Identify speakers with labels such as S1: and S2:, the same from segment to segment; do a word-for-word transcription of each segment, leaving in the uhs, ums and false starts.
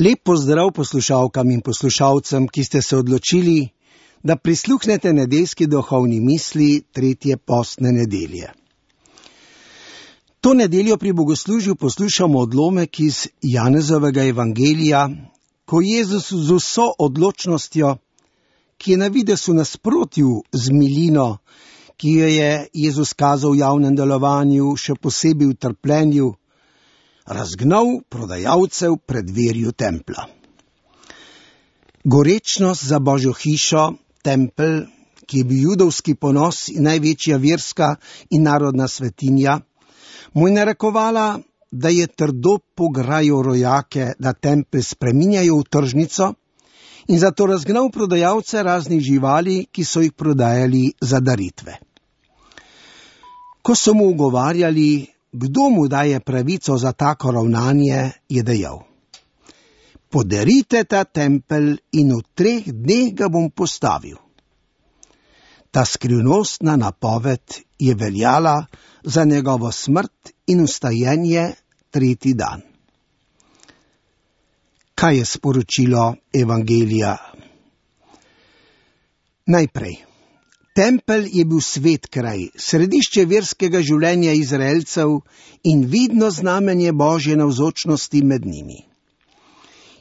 S1: Lep pozdrav poslušalkam in poslušalcem, ki ste se odločili, da prisluhnete nedeljski duhovni misli tretje postne nedelje. To nedeljo pri bogoslužju poslušamo odlomek iz Janezovega evangelija, ko Jezus z vso odločnostjo, ki je na videz v nasprotju z milino, ki jo je Jezus kazal v javnem delovanju, še posebej v trpljenju, razgnal prodajalcev pred dverjo templa. Gorečnost za Božjo hišo, tempelj, ki je bil judovski ponos in največja verska in narodna svetinja, mu je narekovala, da je trdo pograjal rojake, da tempelj spreminjajo v tržnico in zato razgnal prodajalce raznih živali, ki so jih prodajali za daritve. Ko so mu ugovarjali, kdo mu daje pravico za tako ravnanje, je dejal: podarite ta tempelj in v treh dneh ga bom postavil. Ta skrivnostna napoved je veljala za njegovo smrt in vstajenje tretji dan. Kaj je sporočilo evangelija? Najprej. Tempelj je bil svet kraj, središče verskega življenja Izraelcev in vidno znamenje Božje navzočnosti med njimi.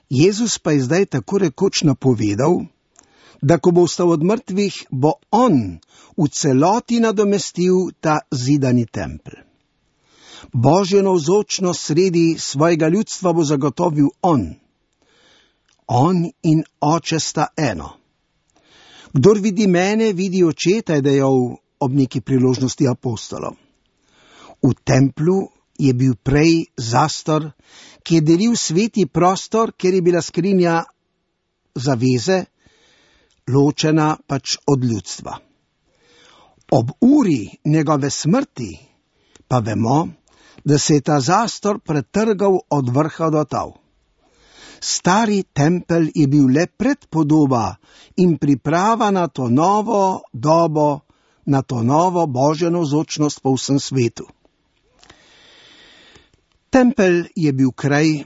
S1: Jezus pa je zdaj tako rekoč napovedal, da ko bo vstal od mrtvih, bo on v celoti nadomestil ta zidani tempelj. Božjo navzočnost sredi svojega ljudstva bo zagotovil on. On in Oče sta eno. Kdor vidi mene, vidi Očeta, je dejal ob neki priložnosti apostolov. V templju je bil prej zastor, ki je delil sveti prostor, kjer je bila skrinja zaveze, ločena pač od ljudstva. Ob uri njegove smrti pa vemo, da se je ta zastor pretrgal od vrha do tal. Stari tempelj je bil le predpodoba in priprava na to novo dobo, na to novo Božjo navzočnost po vsem svetu. Tempelj je bil kraj,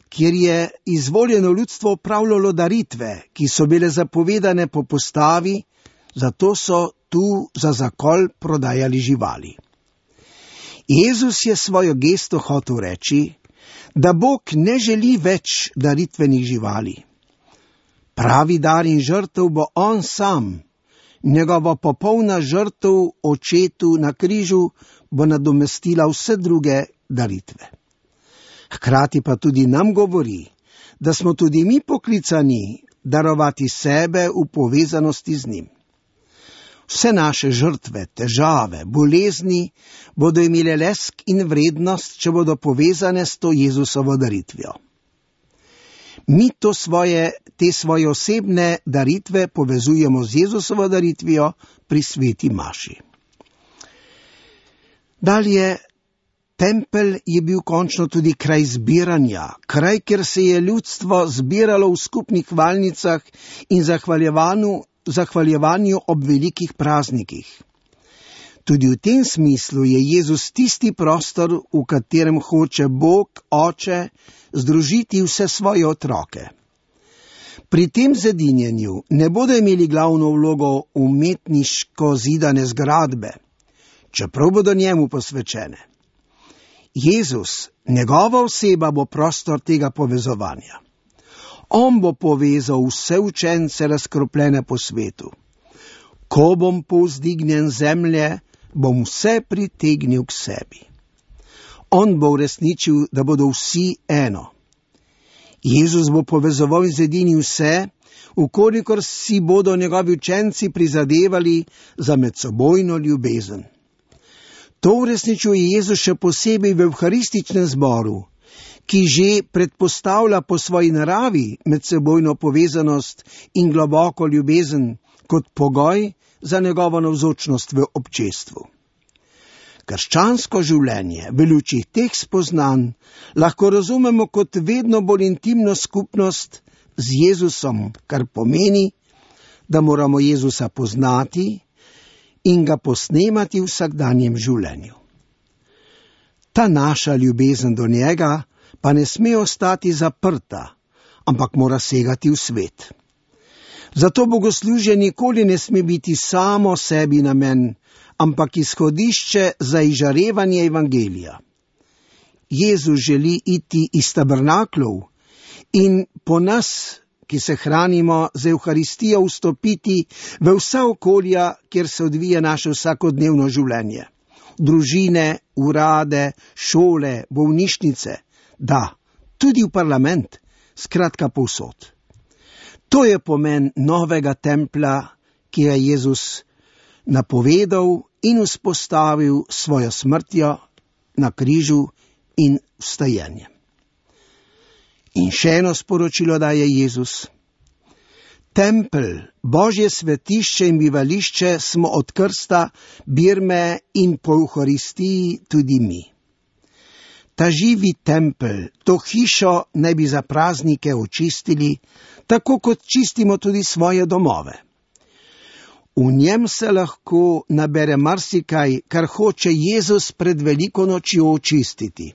S1: kjer je izvoljeno ljudstvo opravljalo daritve, ki so bile zapovedane po postavi, zato so tu za zakol prodajali živali. Jezus je svojo gesto hotel reči, da Bog ne želi več daritvenih živali. Pravi dar in žrtev bo on sam, njegova popolna žrtev Očetu na križu bo nadomestila vse druge daritve. Hkrati pa tudi nam govori, da smo tudi mi poklicani darovati sebe v povezanosti z njim. Vse naše žrtve, težave, bolezni bodo imele lesk in vrednost, če bodo povezane s to Jezusovo daritvijo. Mi to svoje, te svoje osebne daritve povezujemo z Jezusovo daritvijo pri sveti maši. Dalje, tempelj je bil končno tudi kraj zbiranja, kraj, kjer se je ljudstvo zbiralo v skupnih hvalnicah in zahvaljevanju zahvaljevanju ob velikih praznikih. Tudi v tem smislu je Jezus tisti prostor, v katerem hoče Bog, Oče, združiti vse svoje otroke. Pri tem zedinjenju ne bodo imeli glavno vlogo umetniško zidane zgradbe, čeprav bodo njemu posvečene. Jezus, njegova oseba bo prostor tega povezovanja. On bo povezal vse učence razkropljene po svetu. Ko bom povzdignjen zemlje, bom vse pritegnil k sebi. On bo uresničil, da bodo vsi eno. Jezus bo povezoval in zedinil vse, vkolikor si bodo njegovi učenci prizadevali za medsebojno ljubezen. To uresničuje Jezus še posebej v evharističnem zboru, ki že predpostavlja po svoji naravi medsebojno povezanost in globoko ljubezen kot pogoj za njegovo navzočnost v občestvu. Krščansko življenje v luči teh spoznanj lahko razumemo kot vedno bolj intimno skupnost z Jezusom, kar pomeni, da moramo Jezusa poznati in ga posnemati v vsakdanjem življenju. Ta naša ljubezen do njega pa ne sme ostati zaprta, ampak mora segati v svet. Zato bogoslužje nikoli ne sme biti samo sebi namen, ampak izhodišče za izžarevanje evangelija. Jezus želi iti iz tabernaklov in po nas, ki se hranimo z Evharistijo, vstopiti v vsa okolja, kjer se odvija naše vsakodnevno življenje. Družine, urade, šole, bolnišnice, da, tudi v parlament, skratka povsod. To je pomen novega templja, ki je Jezus napovedal in vzpostavil svojo smrtjo na križu in vstajenjem. In še eno sporočilo daje Jezus. Tempelj, Božje svetišče in bivališče smo od krsta, birme in po Evharistiji tudi mi. Ta živi tempelj, to hišo naj bi za praznike očistili, tako kot čistimo tudi svoje domove. V njem se lahko nabere marsikaj, kar hoče Jezus pred veliko nočjo očistiti.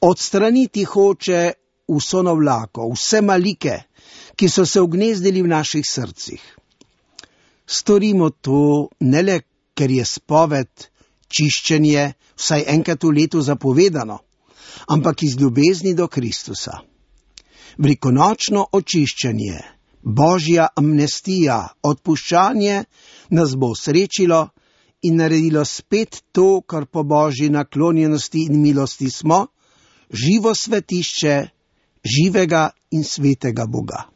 S1: Odstraniti hoče vso navlako, vse malike, ki so se ugnezdili v naših srcih. Storimo to ne le, ker je spoved, čiščenje, vsaj enkrat v letu zapovedano, ampak iz ljubezni do Kristusa. Velikonočno očiščenje, Božja amnestija, odpuščanje nas bo srečilo in naredilo spet to, kar po Božji naklonjenosti in milosti smo, živo svetišče živega in svetega Boga.